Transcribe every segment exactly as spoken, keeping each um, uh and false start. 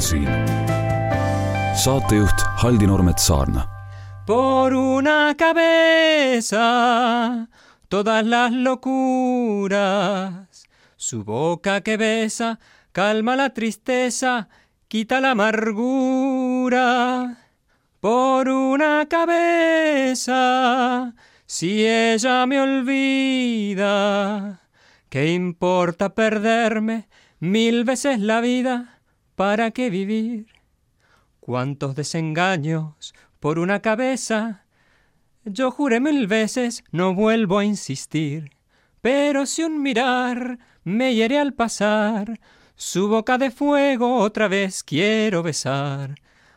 on siin. Saatejuht Haldi Nurmet Saarna. Por una cabeza todas las locuras, su boca que besa calma la tristeza, quita la amargura. Por una cabeza, si ella me olvida, ¿qué importa perderme mil veces la vida? ¿Para qué vivir? Cuántos desengaños por una cabeza. Yo juré mil veces, no vuelvo a insistir. Pero si un mirar me hiere al pasar, su boca de fuego otra vez quiero besar.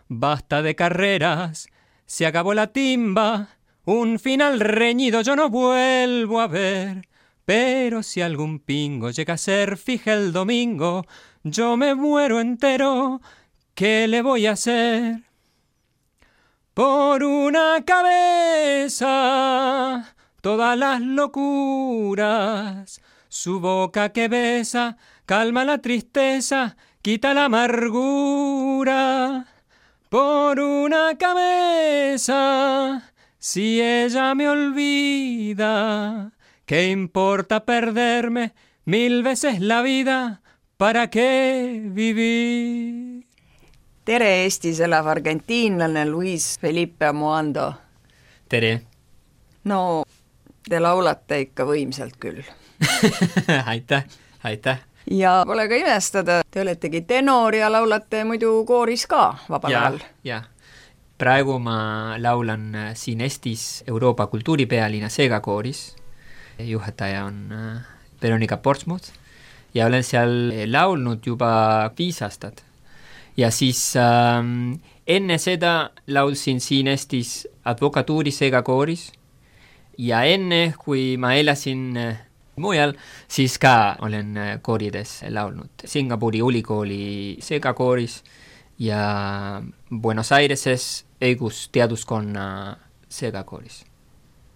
Basta de carreras, se acabó la timba, un final reñido yo no vuelvo a ver. Pero si algún pingo llega a ser fija el domingo, yo me muero entero, ¿qué le voy a hacer? Por una cabeza, todas las locuras, su boca que besa, calma la tristeza, quita la amargura. Por una cabeza, si ella me olvida, ¿qué importa perderme mil veces la vida? ¿Para qué vivir? Tere, Eestis elav argentiinlane Luis Felipe Amoando. Tere. No, te laulate ikka võimsalt küll. aitäh, aitäh. Ja pole ka imestada, te oletegi tenor ja laulate muidu kooris ka vabal ajal. Ja, praegu ma laulan siin Eestis Euroopa kultuuripealinna Seega kooris. Juhataja on Veronika Portsmouth ja olen seal laulnud juba viis aastat. Ja siis ähm, enne seda laulsin siin Eestis advokatuuri Seega kooris ja enne, kui ma elasin mujal, siis ka olen koorides laulnud. Singapuri ülikooli Seega kooris ja Buenos Aireses õigusteaduskonna Seega kooris.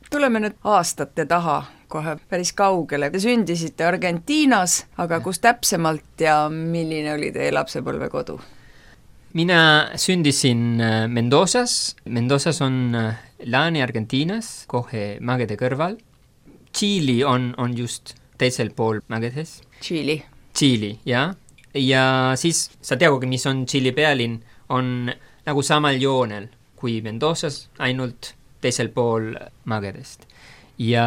Tuleme nüüd aastate taha kohe päris kaugele. Te sündisite Argentiinas, aga kus täpsemalt ja milline oli teie lapsepõlve kodu? Mina sündisin Mendozas. Mendozas on Lääne-Argentiinas, kohe mägede kõrval. Tšiili on, on just teisel pool mägedes. Tšiili. Tšiili, jah. Ja siis sa teagugi, mis on Tšiili pealinn, on nagu samal joonel kui Mendozas, ainult teisel pool mägedest. Ja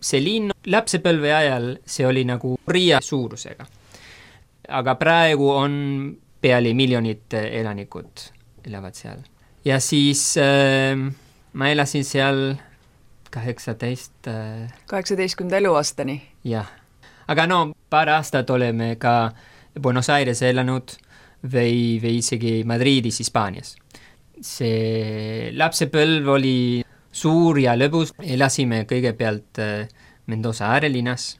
see linn lapsepõlve ajal, see oli nagu Riia suurusega. Aga praegu on peali miljonit elanikud elavad seal. Ja siis äh, ma elasin seal kaheksateist... Äh, kaheksateistkümnenda eluaastani? Jah. Aga no, paar aastat oleme ka Buenos Aires elanud või, või isegi Madridis, Hispaanias. See lapsepõlv oli suur ja lõbus. Elasime kõigepealt äh, Mendoza äärelinnas,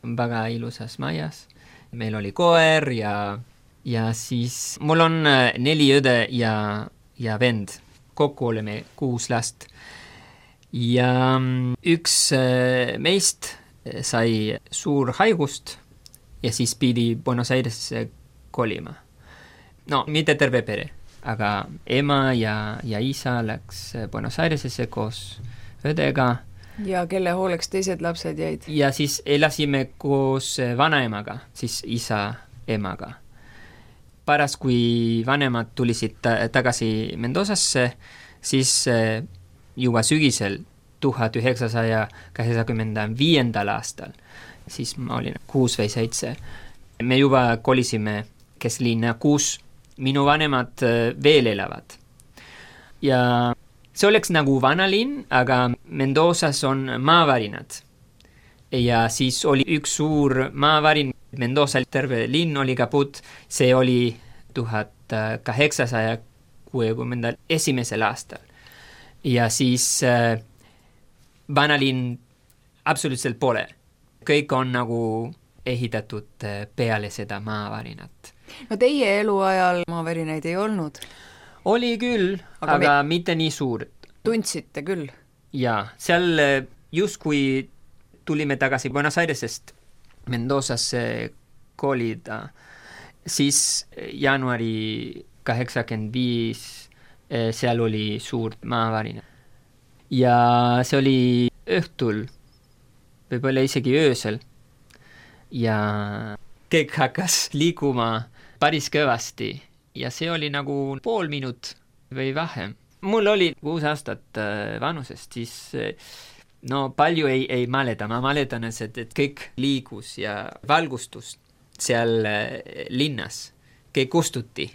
väga ilusas majas. Meil oli koer ja... Ja siis mul on neli õde ja, ja vend. Kokku oleme kuus last. Ja üks meist sai suur haigust ja siis pidi Buenos Airesesse kolima. No, mitte terve pere, aga ema ja, ja isa läks Buenos Airesesse koos õdega. Ja kelle hooleks teised lapsed jäid? Ja siis elasime koos vanaemaga, siis isa emaga. Paras, kui vanemad tulisid tagasi Mendozasse, siis juba sügisel tuhat üheksasaja kaheksakümne viiendal aastal, siis ma olin kuus või seitse. Me juba kolisime keslinna, kus minu vanemad veel elavad. Ja see oleks nagu vanalinn, aga Mendozas on maavarinad. Ja siis oli üks suur maavarin, Mendoza terve linn oli kaput, see oli tuhat kaheksasaja kuuekümnendal esimesel aastal. Ja siis äh, vanalinn absoluutselt pole. Kõik on nagu ehitatud peale seda maavarinat. No teie eluajal maavärinaid ei olnud? Oli küll, aga, aga me... mitte nii suur. Tundsite küll? Jaa, seal just kui tulime tagasi Buenos Airesest Mendozasse kolida, siis jaanuari kaheksakümmend viis seal oli suur maavarina. Ja see oli õhtul, võib-olla isegi öösel. Ja kõik hakkas liikuma päris kõvasti ja see oli nagu pool minut või vähem. Mul oli kuus aastat vanusest, siis no palju ei, ei mäleta. Ma mäletan, et, et kõik liigus ja valgustus seal linnas, kõik kustuti,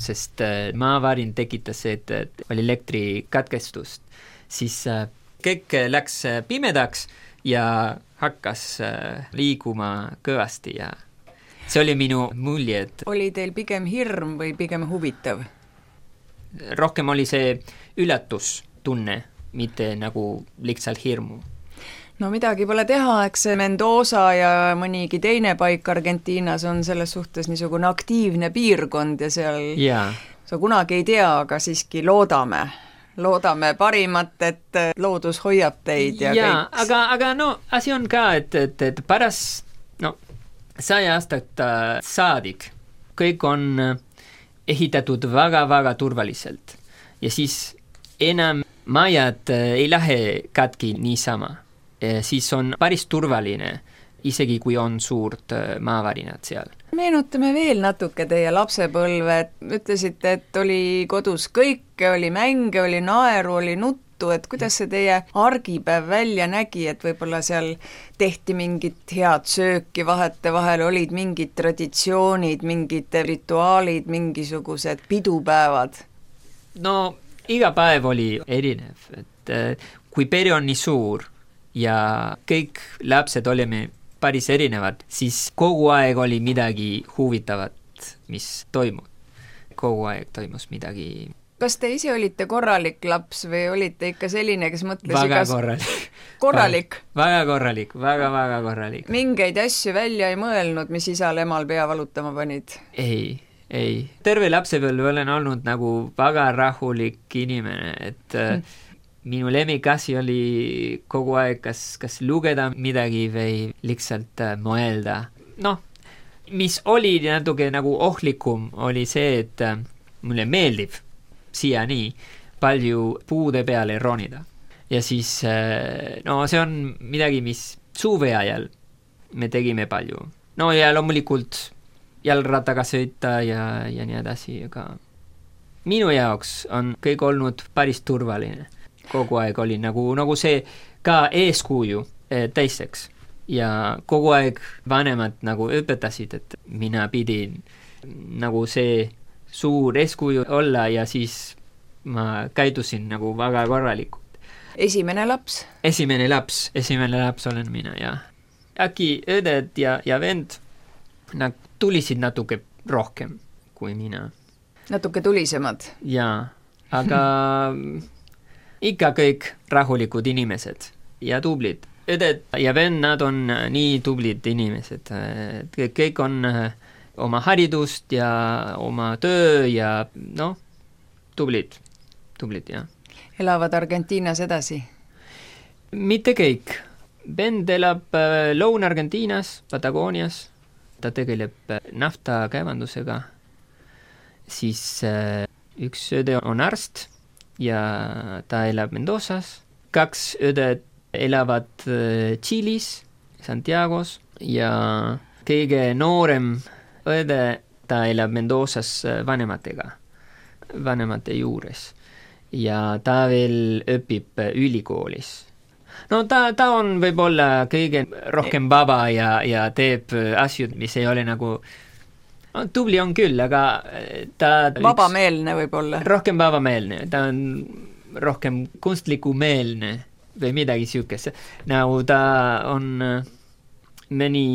sest maavarin tekitas, et, et oli elektrikatkestust. Siis kõik läks pimedaks ja hakkas liiguma kõvasti ja see oli minu mulje, et oli teil pigem hirm või pigem huvitav? Rohkem oli see üllatustunne, mitte nagu lihtsalt hirmu. No midagi pole teha, eks see Mendoza ja mõnigi teine paik Argentiinas on selles suhtes niisugune aktiivne piirkond ja seal ja. Sa kunagi ei tea, aga siiski loodame. Loodame parimat, et loodus hoiab teid ja, ja kõik. Aga, aga no asi on ka, et, et, et pärast no, saja aastat saadik kõik on ehitatud väga-väga turvaliselt ja siis enam majad ei lähe katki niisama. Siis on päris turvaline, isegi kui on suurt maavarinad seal. Meenutame veel natuke teie lapsepõlve. Ütlesite, et oli kodus kõike, oli mänge, oli naeru, oli nuttu, et kuidas see teie argipäev välja nägi, et võib-olla seal tehti mingit head sööki vahete vahel, olid mingid traditsioonid, mingid rituaalid, mingisugused pidupäevad? No iga päev oli erinev, et kui pere on nii suur ja kõik lapsed olime päris erinevad, siis kogu aeg oli midagi huvitavat, mis toimub. Kogu aeg toimus midagi. Kas te ise olite korralik laps või olite ikka selline, kes mõtles väga igas... korralik. Korralik? Väga korralik, väga-väga korralik. Mingeid asju välja ei mõelnud, mis isal emal pea valutama panid? Ei, ei. Terve lapsepõlve olen olnud nagu väga rahulik inimene, et hmm. minu lemmikasi oli kogu aeg kas, kas lugeda midagi või lihtsalt mõelda. Noh, mis oli natuke nagu ohtlikum, oli see, et mulle meeldib siiani palju puude peale ronida. Ja siis, no see on midagi, mis suve ajal me tegime palju. No ja loomulikult jalgrattaga sõita ja, ja nii edasi, aga minu jaoks on kõik olnud päris turvaline. Kogu aeg oli nagu, nagu see ka eeskuju teisteks. Ja kogu aeg vanemad nagu õpetasid, et mina pidin nagu see suur eeskuju olla ja siis ma käitusin nagu väga korralikult. Esimene laps? Esimene laps, esimene laps olen mina, jah. Äkki õded ja, ja vend, nad tulisid natuke rohkem kui mina. Natuke tulisemad? Jaa, aga ikka kõik rahulikud inimesed ja tublid. Õded ja vend, nad on nii tublid inimesed. Kõik on oma haridust ja oma töö ja noh, tublid, tublid, jah. Elavad Argentiinas edasi? Mitte kõik. Vend elab Lõuna-Argentiinas, Patagoonias. Ta tegeleb nafta kaevandusega. Siis üks õde on arst ja ta elab Mendozas. Kaks õdet elavad Tšiilis, Santiagos ja kõige noorem õde, ta elab Mendozas vanematega, vanemate juures ja ta veel õpib ülikoolis. No ta, ta on võib-olla kõige rohkem vaba ja, ja teeb asju, mis ei ole nagu no, tubli on küll, aga ta vabameelne võib-olla. Rohkem vabameelne, ta on rohkem kunstliku-meelne või midagi siukest. Nagu ta on mõni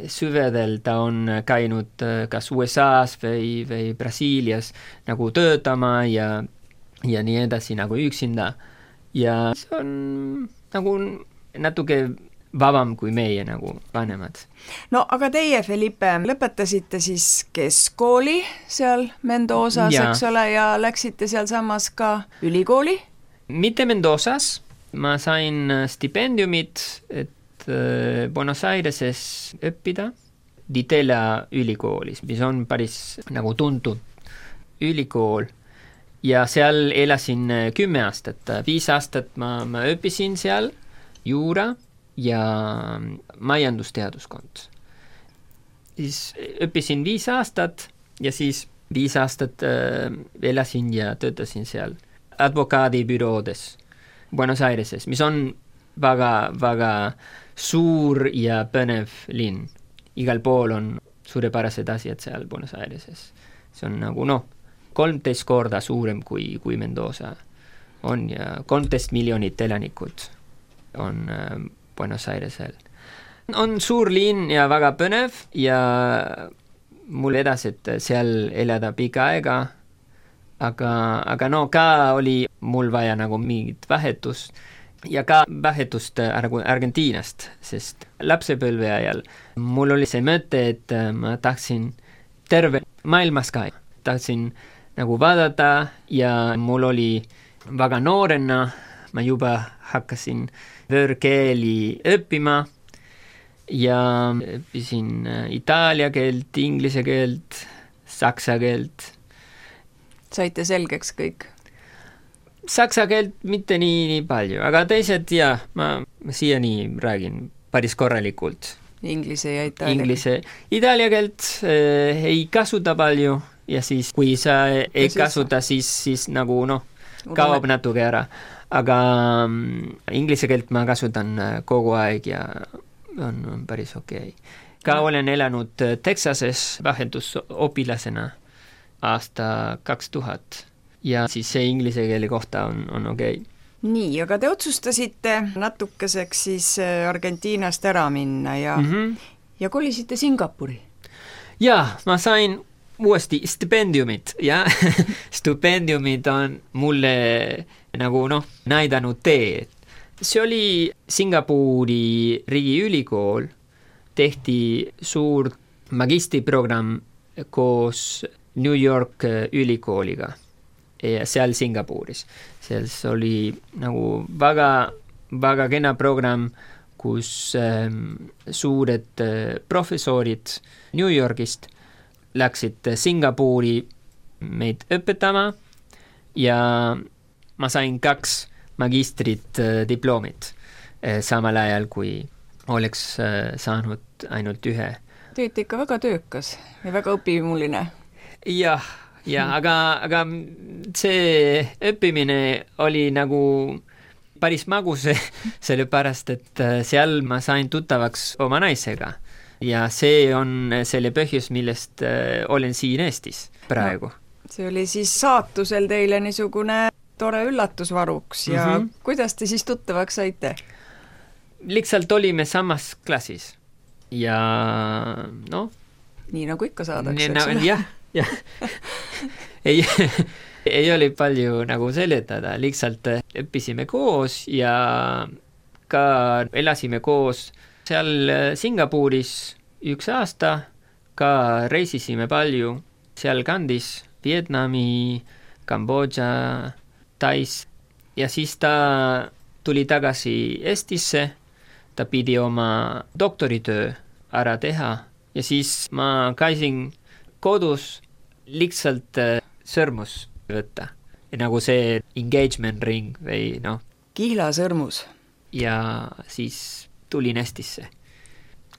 süvedel, ta on käinud kas U S A-s või, või Brasiilias nagu töötama ja, ja nii edasi nagu üksinda. Ja see on nagu natuke vabam kui meie nagu vanemad. No aga teie, Felipe, lõpetasite siis keskkooli seal Mendozas, eks ole, ja läksite seal samas ka ülikooli? Mitte Mendozas, ma sain stipendiumit, et Buenos Aireses õppida Ditela ülikoolis, mis on päris nagu tuntud ülikool ja seal elasin kümme aastat, viis aastat ma, ma õppisin seal juura ja majandusteaduskond. Siis õppisin viis aastat ja siis viis aastat äh, elasin ja töötasin seal advokaadibüroodes Buenos Aireses, mis on väga, väga suur ja põnev linn. Igal pool on suurepärased asjad seal Buenos Aireses. See on nagu noh, kolmteist korda suurem kui, kui Mendoza on ja kolmteist miljonit elanikud on äh, Buenos Airesel. On suur linn ja väga põnev ja mul edasi, et seal elada pika aega, aga, aga no ka oli mul vaja nagu mingit vahetust ja ka vahetust Argentiinast, sest lapsepõlve ajal mul oli see mõte, et ma tahtsin terve maailmas ka. Tahtsin nagu vaadata ja mul oli väga noorena, ma juba hakkasin võõrkeeli õppima ja õppisin itaalia keelt, inglise keelt, saksa keelt. Saite selgeks kõik? Saksa keelt mitte nii, nii palju, aga teised ja ma, ma siiani räägin päris korralikult. Inglise ja itaalia. Inglise. Itaalia keelt äh, ei kasuta palju ja siis kui sa ei ja kasuta, siis, siis nagu noh, kaob natuke ära. Aga um, inglise keelt ma kasutan kogu aeg ja on, on päris okei. Okay. Ka olen elanud Texases vahetusopilasena aasta kaks tuhat ja siis see inglise keele kohta on, on okei. Okay. Nii, aga te otsustasite natukeseks siis Argentiinast ära minna ja, mm-hmm. ja kolisite Singapuri. Jaa, ma sain uuesti stipendiumit ja stipendiumid on mulle nagu noh, näidanud tee. See oli Singapuri riigiülikool, tehti suur magistriprogramm koos New York ülikooliga ja seal Singapuris. Seal oli nagu väga, väga kena programm, kus ähm, suured äh, professorid New Yorgist läksid Singapuri meid õpetama ja ma sain kaks magistrit äh, diplomit äh, samal ajal, kui oleks äh, saanud ainult ühe. Te olete ikka väga töökas ja väga õpimuline. Jah, ja, hmm. aga, aga see õppimine oli nagu päris magus, sellepärast, et seal ma sain tuttavaks oma naisega. Ja see on selle põhjus, millest äh, olen siin Eestis praegu. No, see oli siis saatusel teile niisugune tore üllatusvaruks ja mm-hmm. kuidas te siis tuttavaks saite? Lihtsalt olime samas klassis ja noh. Nii nagu ikka saadakse, eks ole? Jah, jah. ei, ei oli palju nagu seletada, lihtsalt õppisime koos ja ka elasime koos seal Singapuris üks aasta, ka reisisime palju seal kandis, Vietnami, Kambodža, Tais ja siis ta tuli tagasi Eestisse, ta pidi oma doktoritöö ära teha ja siis ma käisin kodus lihtsalt sõrmus võtta. Ja nagu see engagement ring või noh. Kihlasõrmus. Ja siis tulin Eestisse.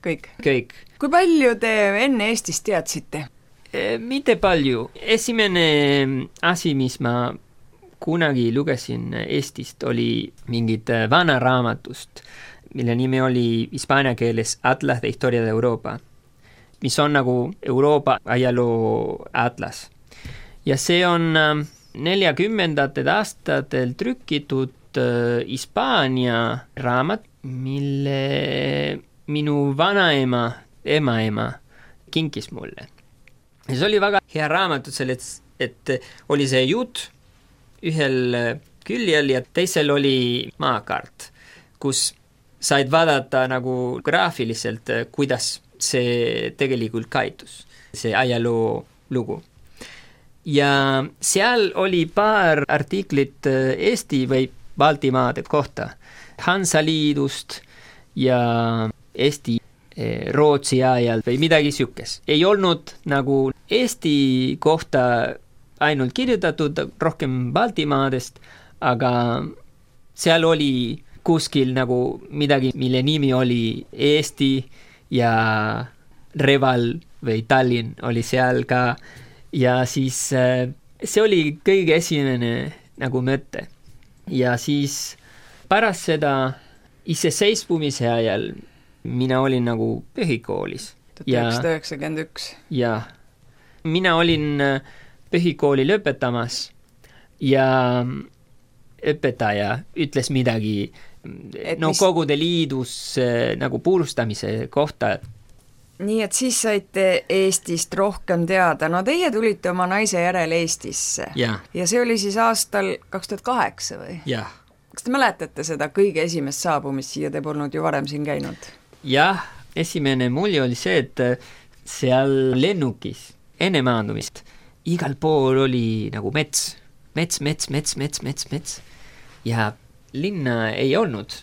Kõik? Kõik. Kui palju te enne Eestist teadsite? E, mitte palju. Esimene asi, mis ma kunagi lugesin Eestist, oli mingid vana raamatust, mille nimi oli hispaania keeles Atlas de Historia de Europa, mis on nagu Euroopa ajaloo atlas. Ja see on neljakümnendatel aastatel trükitud Hispaania raamat, mille minu vanaema, emaema kinkis mulle. Ja see oli väga hea raamatut selles, et oli see jutt ühel küljel ja teisel oli maakaart, kus said vaadata nagu graafiliselt, kuidas see tegelikult kaitus, see ajaloo lugu. Ja seal oli paar artiklit Eesti või Baltimaade kohta, Hansaliidust ja Eesti Rootsi ajal või midagi siukest. Ei olnud nagu Eesti kohta ainult kirjutatud, rohkem Baltimaadest, aga seal oli kuskil nagu midagi, mille nimi oli Eesti ja Reval või Tallinn oli seal ka ja siis see oli kõige esimene nagu mõte. Ja siis pärast seda iseseisvumise ajal mina olin nagu põhikoolis. tuhat üheksasada üheksakümmend üks. Ja mina olin põhikooli lõpetamas ja õpetaja ütles midagi et no mis... Kogude Liidus nagu purustamise kohta. Nii et siis saite Eestist rohkem teada. No teie tulite oma naise järel Eestisse. Ja, ja see oli siis aastal kaks tuhat kaheksa või? Jah. Kas te mäletate seda kõige esimest saabumist siia, te polnud ju varem siin käinud? Jah, esimene mulje oli see, et seal lennukis enne maandumist igal pool oli nagu mets, mets, mets, mets, mets, mets, mets ja linna ei olnud.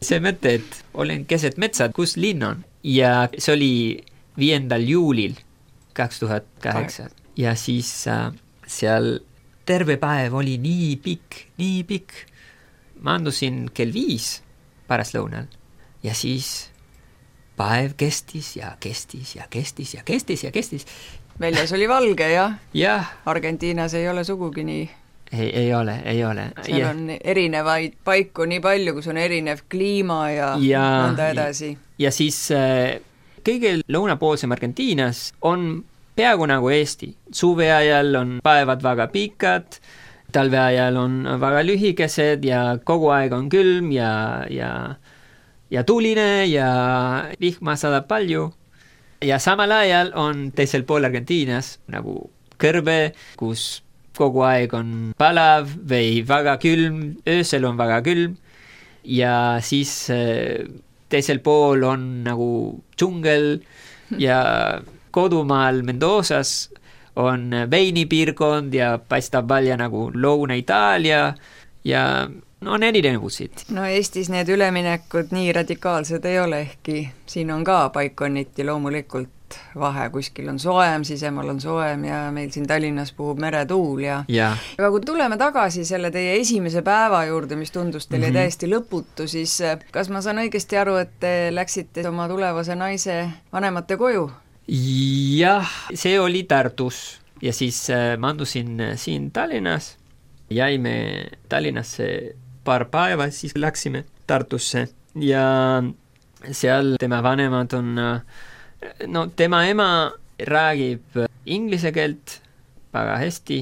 See mõte, et olen keset metsad, kus linn on. Ja see oli viiendal juulil kaks tuhat kaheksa ja siis äh, seal terve päev oli nii pikk, nii pikk. Maandusin kell viis pärastlõunal ja siis päev kestis ja kestis ja kestis ja kestis ja kestis. Väljas oli valge, jah? Jah. Argentiinas ei ole sugugi nii. Ei, ei ole, ei ole. Seal ja. On erinevaid paiku nii palju, kus on erinev kliima ja, ja nõnda edasi. Ja siis äh, kõige lõunapoolsem Argentiinas on peaaegu nagu Eesti. Suve ajal on päevad väga pikad, talve ajal on väga lühikesed ja kogu aeg on külm ja, ja, ja tuline ja vihma saadab palju. Ja samal ajal on teisel pool Argentiinas nagu kõrbe, kus kogu aeg on palav või väga külm, öösel on väga külm ja siis teisel pool on nagu džungel ja kodumaal Mendozas on veinipiirkond ja paistab välja nagu Lõuna-Itaalia ja no, on erinevusid. No Eestis need üleminekud nii radikaalsed ei ole, ehkki siin on ka paikonniti loomulikult vahe, kuskil on soojem, sisemal on soojem ja meil siin Tallinnas puhub meretuul ja... ja aga kui tuleme tagasi selle teie esimese päeva juurde, mis tundus teile mm-hmm. täiesti lõputu, siis kas ma saan õigesti aru, et te läksite oma tulevase naise vanemate koju? Jah, see oli Tartus ja siis maandusin siin Tallinnas, jäime Tallinnasse paar päeva, siis läksime Tartusse ja seal tema vanemad on no tema ema räägib inglise keelt väga hästi,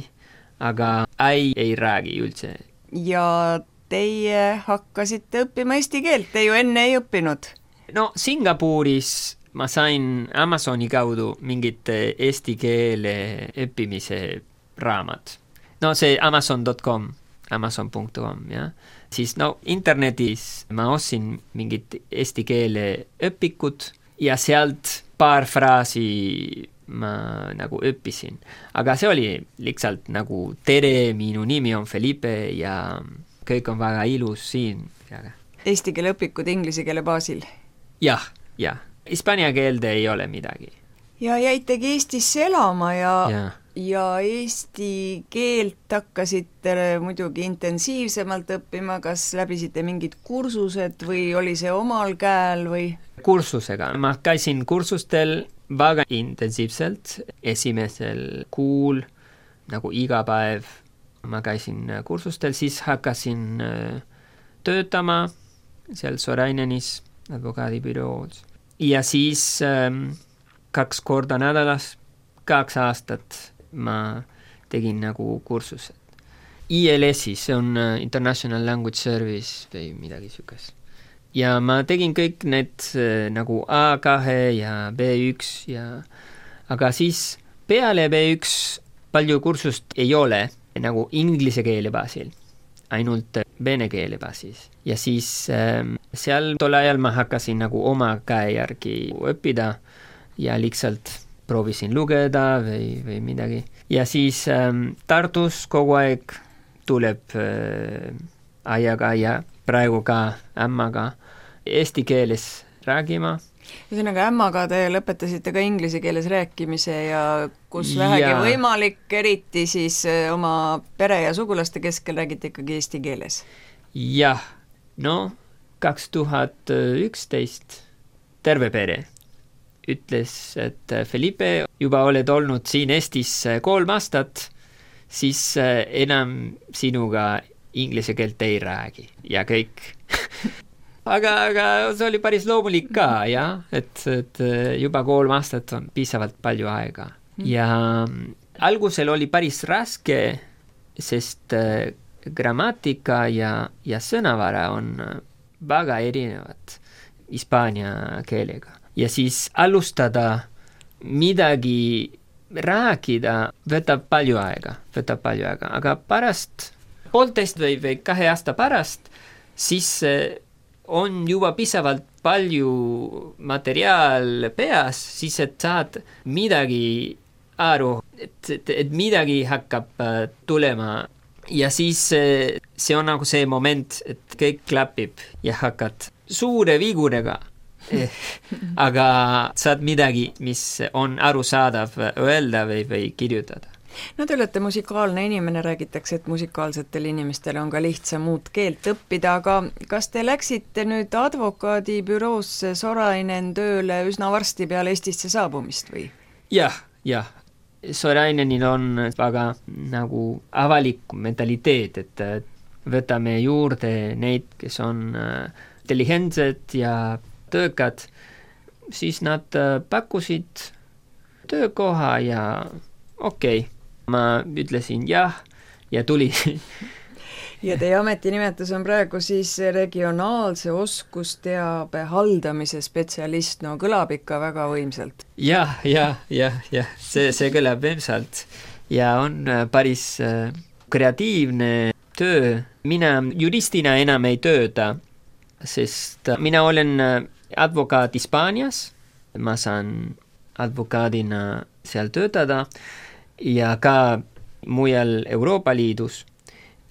aga ei, ei räägi üldse. Ja teie hakkasite õppima eesti keelt, te ju enne ei õppinud? No Singapuris ma sain Amazoni kaudu mingit eesti keele õppimise raamat. No see amazon dot com, amazon dot com, jah. Siis no internetis ma ostsin mingit eesti keele õpikut ja sealt paar fraasi ma nagu õppisin. Aga see oli lihtsalt nagu tere, minu nimi on Felipe ja kõik on väga ilus siin. Eesti keele õpikud inglise keele baasil? Jah, jah. Hispaania keelde ei ole midagi. Ja jäitegi Eestisse elama ja, ja. ja eesti keelt hakkasite muidugi intensiivsemalt õppima, kas läbisite mingid kursused või oli see omal käel või? Kursusega. Ma käisin kursustel väga intensiivselt esimesel kuul, nagu iga päev. Ma käisin kursustel, siis hakkasin töötama seal Sorainenis advokaadibüroos. Ja siis ähm, kaks korda nädalas, kaks aastat ma tegin nagu kursused. I L S-i, see on International Language Service või midagi sükest. Ja ma tegin kõik need nagu A kaks ja B üks ja aga siis peale B üks palju kursust ei ole nagu inglise keele baasil, ainult vene keele baasis. Ja siis ähm, seal tol ajal ma hakkasin nagu oma käe järgi õppida ja lihtsalt proovisin lugeda või, või midagi. Ja siis ähm, Tartus kogu aeg tuleb äh, ajaga ja praegu ka ämmaga eesti keeles räägima Ühesõnaga ämmaga te lõpetasite ka inglise keeles rääkimise ja kus vähegi ja. võimalik, eriti siis oma pere ja sugulaste keskel räägite ikkagi eesti keeles? Jah, no kaks tuhat üksteist terve pere ütles, et Felipe, juba oled olnud siin Eestis kolm aastat, siis enam sinuga inglise keelt ei räägi ja kõik. aga, aga see oli päris loomulik ka, jah, et, et juba kolm aastat on piisavalt palju aega. Ja algusel oli päris raske, sest grammatika ja, ja sõnavara on väga erinevad hispaania keelega. Ja siis alustada midagi rääkida võtab palju aega, võtab palju aega, aga pärast poolteist või, või kahe aasta pärast, siis on juba piisavalt palju materjal peas, siis et saad midagi aru, et, et, et midagi hakkab tulema. Ja siis see on nagu see moment, et kõik klapib ja hakkad suure vigurega. Aga saad midagi, mis on arusaadav öelda või, või kirjutada. No te olete musikaalne inimene, räägitakse, et musikaalsetel inimestel on ka lihtsam uut keelt õppida, aga kas te läksite nüüd advokaadibüroosse Sorainen tööle üsna varsti peale Eestisse saabumist või? Jah, jah. Sorainenil on väga nagu avalik mentaliteet, et võtame juurde neid, kes on intelligentsed ja töökad, siis nad pakkusid töökoha ja okei, okay. Ma ütlesin jah ja tuli. Ja teie ametinimetus on praegu siis regionaalse oskusteabe haldamise spetsialist, no kõlab ikka väga võimsalt. Jah, jah, jah, jah, see, see kõlab võimsalt ja on päris kreatiivne töö. Mina juristina enam ei tööta, sest mina olen advokaat Hispaanias, ma saan advokaadina seal töötada ja ka mujal Euroopa Liidus.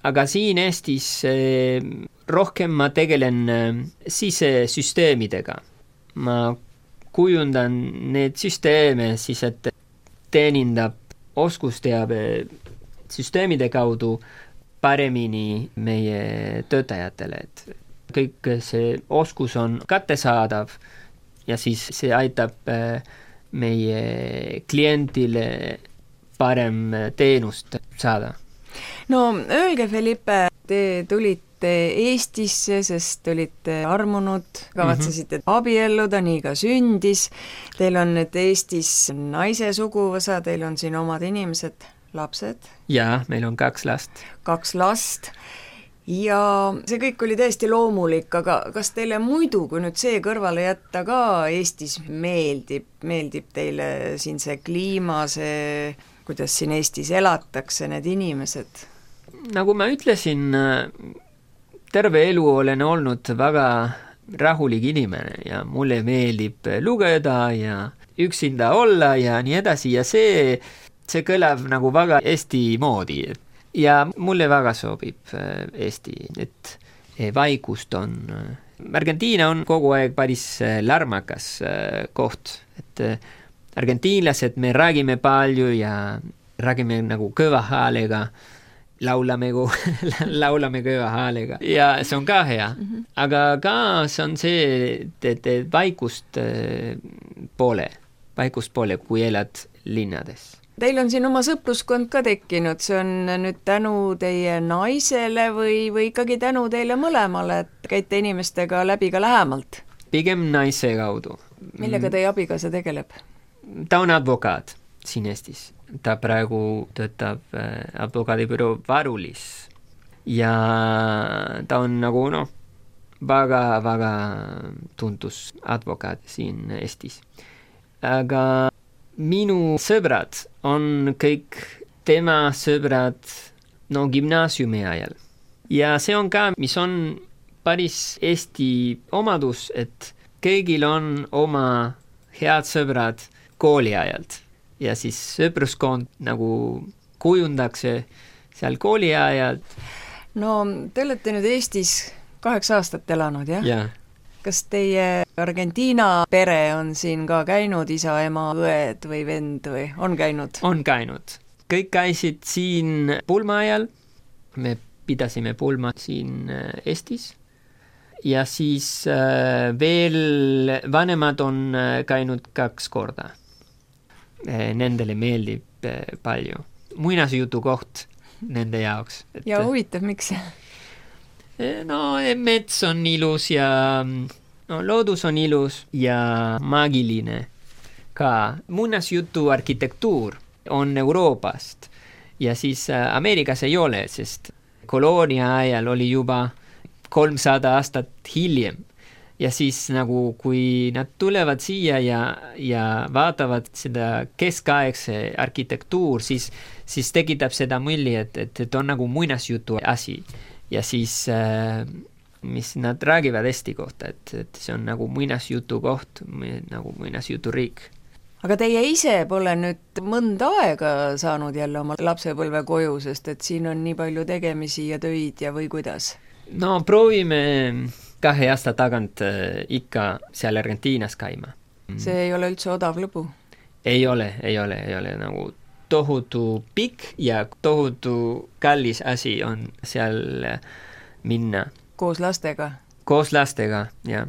Aga siin Eestis eh, rohkem ma tegelen eh, sisesüsteemidega. Ma kujundan need süsteeme siis, et teenindab oskusteabe süsteemide kaudu paremini meie töötajatele, et kõik see oskus on kättesaadav ja siis see aitab meie klientile parem teenust saada. No öelge, Felipe, te tulite Eestisse, sest olite armunud, kavatsesite mm-hmm. abielluda, nii ka sündis. Teil on nüüd Eestis naise suguvõsa, teil on siin omad inimesed, lapsed? Jaa, meil on kaks last. Kaks last. Ja see kõik oli täiesti loomulik, aga kas teile muidu, kui nüüd see kõrvale jätta ka Eestis meeldib, meeldib teile siin see kliima, see, kuidas siin Eestis elatakse, need inimesed? Nagu ma ütlesin, terve elu olen olnud väga rahulik inimene ja mulle meeldib lugeda ja üksinda olla ja nii edasi ja see, see kõlab nagu väga Eesti moodi. Ja mulle väga sobib Eesti, et vaikust on. Argentiina on kogu aeg päris lärmakas koht, et argentiinlased me räägime palju ja räägime nagu kõva häälega, laulame, laulame kõva häälega ja see on ka hea, mm-hmm. aga ka see on see, et vaikust poole, vaikust poole, kui elad linnades. Teil on siin oma sõpruskond ka tekkinud, see on nüüd tänu teie naisele või, või ikkagi tänu teile mõlemale, et käite inimestega läbi ka lähemalt? Pigem naise kaudu. Millega teie abikaasa tegeleb? Ta on advokaat siin Eestis. Ta praegu töötab advokaadibüroo Varulis ja ta on nagu no, väga, väga tuntus advokaat siin Eestis. Aga minu sõbrad on kõik tema sõbrad no gümnaasiumi ajal. Ja see on ka, mis on päris Eesti omadus, et kõigil on oma head sõbrad kooli ajalt. Ja siis sõpruskond nagu kujundakse seal kooli ajalt. No te olete nüüd Eestis kaheksa aastat elanud, jah? Jah. kas teie Argentiina pere on siin ka käinud, isa, ema, õed või vend või on käinud? On käinud. Kõik käisid siin pulma ajal. Me pidasime pulma siin Eestis. Ja siis veel vanemad on käinud kaks korda. Nendele meeldib palju. Muinasjutu koht nende jaoks. Et... Ja huvitav, miks? No, mets on ilus ja no, loodus on ilus ja maagiline ka. Muinasjutu arhitektuur on Euroopast ja siis Ameerikas ei ole, sest koloonia ajal oli juba kolmsada aastat hiljem. Ja siis nagu kui nad tulevad siia ja, ja vaatavad seda keskaegse arhitektuur, siis, siis tekitab seda mulje, et, et, et on nagu muinasjutu asi. Ja siis, äh, mis nad räägivad Eesti kohta, et, et see on nagu muinasjutu koht, nagu muinasjutu riik. Aga teie ise pole nüüd mõnda aega saanud jälle oma lapsepõlve koju, sest et siin on nii palju tegemisi ja töid ja või kuidas? No proovime kahe aasta tagant äh, ikka seal Argentiinas käima. See ei ole üldse odav lõbu? Ei ole, ei ole, ei ole nagu tohutu pikk ja tohutu kallis asi on seal minna. Koos lastega? Koos lastega, jah.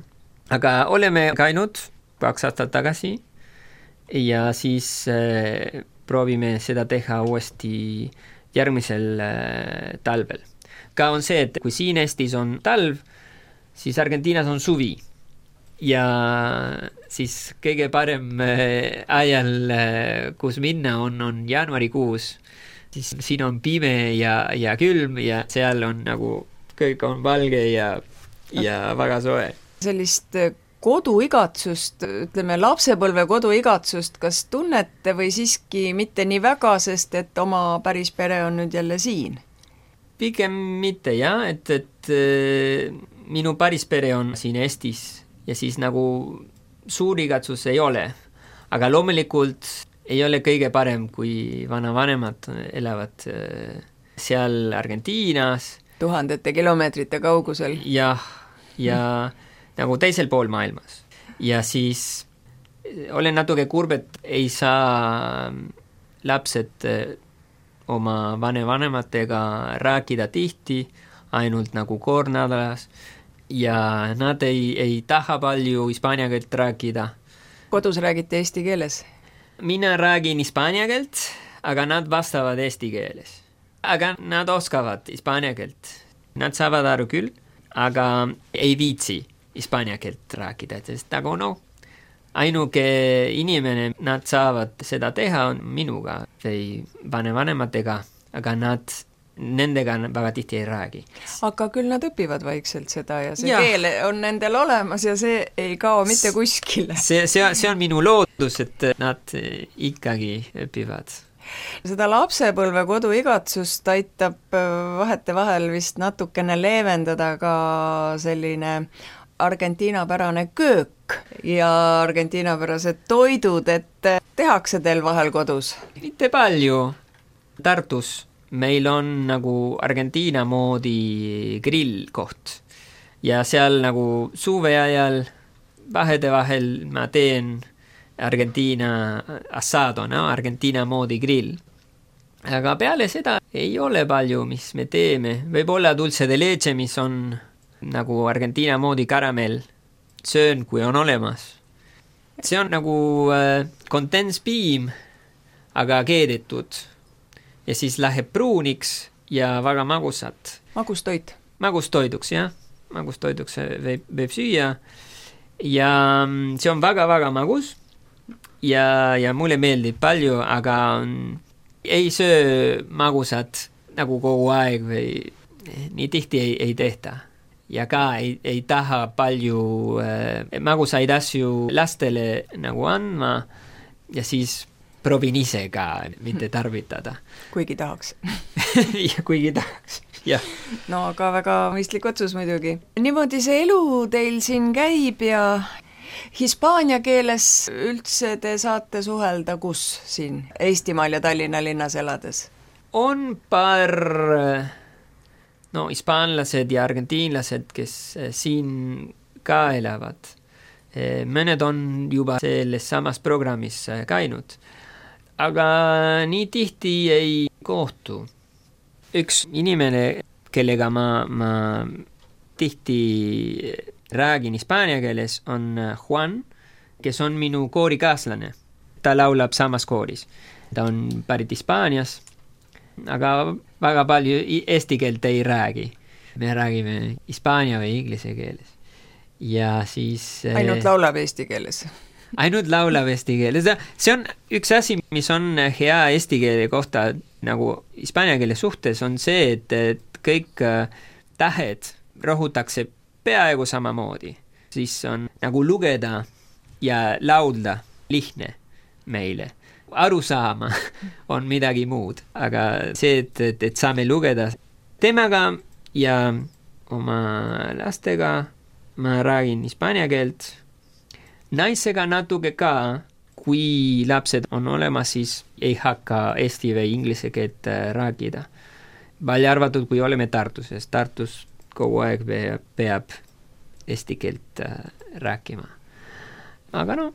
Aga oleme käinud kaks aastat tagasi ja siis äh, proovime seda teha uuesti järgmisel äh, talvel. Ka on see, et kui siin Eestis on talv, siis Argentiinas on suvi ja siis kõige parem ajal, kus minna on, on jaanuarikuus. Siis siin on pime ja, ja külm ja seal on nagu kõik on valge ja, ja väga soe. Sellist koduigatsust, ütleme lapsepõlve koduigatsust, kas tunnete või siiski mitte nii väga, sest et oma päris pere on nüüd jälle siin? Pigem mitte, jah, et, et äh, minu päris pere on siin Eestis ja siis nagu suur igatsus ei ole. Aga loomulikult ei ole kõige parem, kui vanavanemad elavad äh, seal Argentiinas. Tuhandete kilomeetrite kaugusel. Jah, ja nagu teisel pool maailmas. Ja siis olen natuke kurb, et ei saa lapsed oma vanevanematega rääkida tihti, ainult nagu kord nädalas ja nad ei, ei taha palju hispaania keelt rääkida. Kodus räägite eesti keeles? Mina räägin hispaania keelt, aga nad vastavad eesti keeles. Aga nad oskavad hispaania keelt. Nad saavad aru küll, aga ei viitsi hispaania keelt rääkida, sest nagu no, ainuke inimene, nad saavad seda teha on minuga või vanevanematega, aga nad nendega väga tihti ei räägi. Aga küll nad õpivad vaikselt seda ja see ja. Keel on nendel olemas ja see ei kao mitte kuskile. See, see, see on minu loodus, et nad ikkagi õpivad. Seda lapsepõlve koduigatsust aitab vahete vahel vist natukene leevendada ka selline Argentiina pärane köök ja Argentiina pärased toidud, et tehakse teil vahel kodus? Mitte palju. Tartus meil on nagu Argentiina moodi grillkoht ja seal nagu suve ajal vahede vahel ma teen Argentiina asado, no? Argentiina moodi grill. Aga peale seda ei ole palju, mis me teeme. Võib-olla dulce de leche, mis on nagu Argentiina moodi karamell, söön, kui on olemas. See on nagu äh, kondenspiim, aga keedetud. Ja siis läheb pruuniks ja väga magusat. Magustoit? Magustoiduks, jah. Magustoiduks võib, võib süüa. Ja see on väga-väga magus. Ja, ja mulle meeldib palju, aga on, ei söö magusat nagu kogu aeg või nii tihti ei, ei tehta. Ja ka ei, ei taha palju äh, magusaid asju lastele nagu andma ja siis proovin ise ka mitte tarvitada. Kuigi tahaks. ja kuigi tahaks, jah. No aga väga mõistlik otsus muidugi. Niimoodi see elu teil siin käib ja hispaania keeles üldse te saate suhelda kus siin Eestimaal ja Tallinna linnas elades? On paar... no hispaanlased ja argentiinlased, kes siin ka elavad. Mõned on juba selles samas programmis käinud, aga nii tihti ei kohtu. Üks inimene, kellega ma, ma tihti räägin hispaania keeles, on Juan, kes on minu koorikaaslane. Ta laulab samas kooris. Ta on pärit Hispaanias, aga väga palju eesti keelt ei räägi. Me räägime hispaania või inglise keeles. Ja siis... Ainult laulab eesti keeles. Ainult laulab eesti keeles. See on üks asi, mis on hea eesti keele kohta nagu hispaania keele suhtes, on see, et, et kõik tähed rõhutakse peaaegu samamoodi. Siis on nagu lugeda ja laulda lihtne meile. Aru saama on midagi muud, aga see, et, et, et saame lugeda temaga ja oma lastega ma räägin hispaania keelt. Naisega natuke ka, kui lapsed on olemas, siis ei hakka eesti või inglise keelt rääkida. Välja arvatud, kui oleme Tartuses. Tartus kogu aeg peab, peab eesti keelt rääkima. Aga no,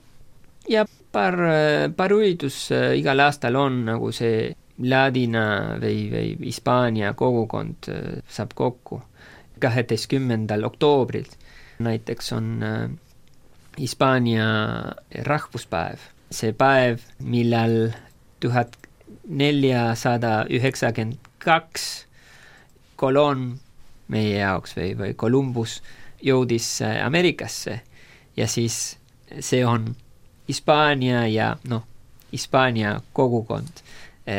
ja paar, paar üritus igal aastal on nagu see ladina või, või hispaania kogukond saab kokku. kaheteistkümnendal oktoobril näiteks on Hispaania rahvuspäev. See päev, millal tuhat neljasada üheksakümmend kaks Colón meie jaoks või, või Columbus jõudis Ameerikasse ja siis see on Hispaania ja noh, Hispaania kogukond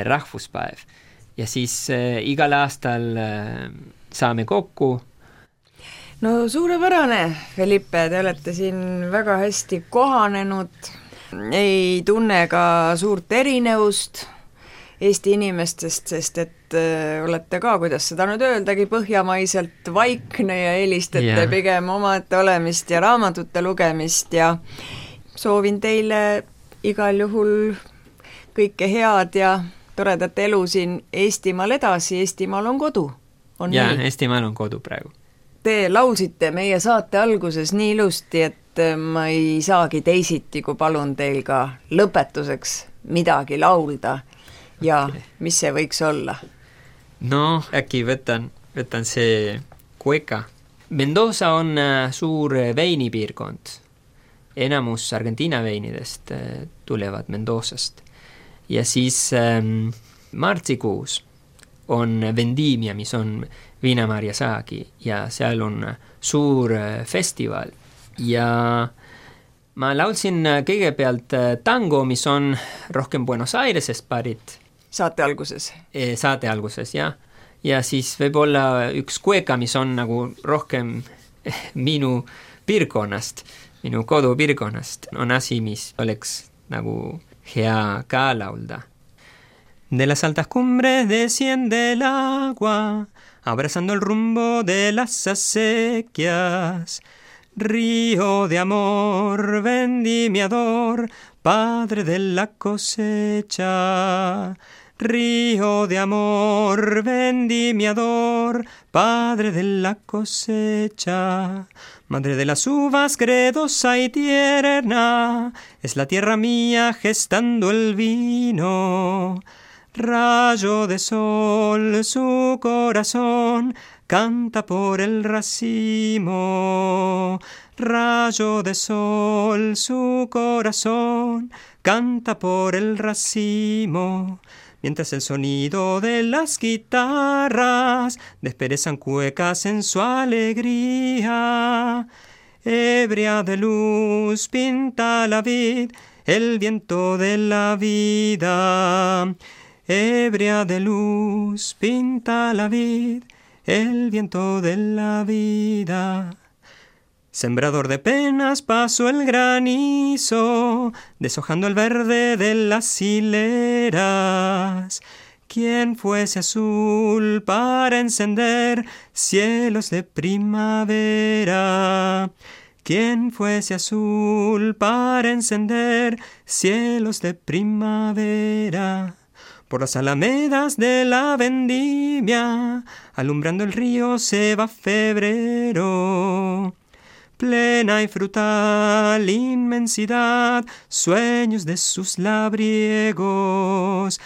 rahvuspäev ja siis äh, igal aastal äh, saame kokku. No suurepärane, Felipe, te olete siin väga hästi kohanenud, ei tunne ka suurt erinevust Eesti inimestest, sest et äh, olete ka, kuidas seda nüüd öeldagi, põhjamaiselt vaikne ja eelistate yeah. pigem omaette olemist ja raamatute lugemist ja soovin teile igal juhul kõike head ja toredat elu siin Eestimaal edasi, Eestimaal on kodu. Jaa, Eestimaal on kodu praegu. Te laulsite meie saate alguses nii ilusti, et ma ei saagi teisiti, kui palun teil ka lõpetuseks midagi laulda ja okay. Mis see võiks olla? No, äkki võtan, võtan see Cueca. Mendoza on suur veinipiirkond. Enamus Argentiina veinidest tulevad Mendozast. Ja siis ähm, martsikuus on Vendimia, mis on viinamarja saagi ja seal on suur festival ja ma laulsin kõigepealt tango, mis on rohkem Buenos Airesest pärit. Saate alguses? Saate alguses, jah. Ja siis võib-olla üks Cueca, mis on nagu rohkem minu piirkonnast, minu kodupiirkonnast, on asi, mis oleks nagu hea ka laulda. De las altas cumbres desciende el agua, abrazando el rumbo de las acequias. Río de amor, vendimiador, padre de la cosecha. Río de amor, vendimiador, padre de la cosecha. Madre de las uvas, credosa y tierna, es la tierra mía gestando el vino. Rayo de sol, su corazón canta por el racimo. Rayo de sol, su corazón canta por el racimo. Mientras el sonido de las guitarras desperezan cuecas en su alegría. Ebria de luz pinta la vid, el viento de la vida. Ebria de luz pinta la vid, el viento de la vida. Sembrador de penas pasó el granizo, deshojando el verde de las hileras. Quien fuese azul para encender cielos de primavera. Quien fuese azul para encender cielos de primavera. Por las alamedas de la vendimia, alumbrando el río se va febrero. plena y frutal inmensidad, sueños de sus labriegos.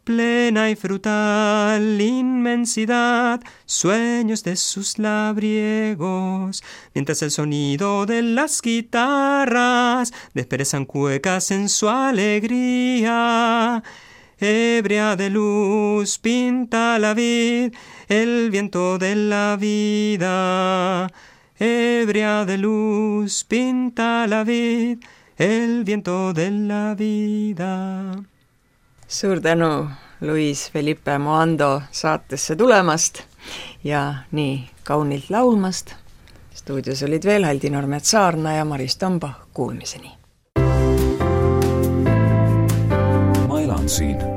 Plena y frutal inmensidad, sueños de sus labriegos. Mientras el sonido de las guitarras desperezan cuecas en su alegría. Ebria de luz pinta la vid, el viento de la vida. Ebria de luz pinta la vid, el viento de la vida. Suur tänu, Luis Felipe Moando, saatesse tulemast ja nii kaunilt laulmast. Stuudios olid veel Haldi Nurmetsaarna ja Maris Tomba. Kuulmiseni. Ma elan siin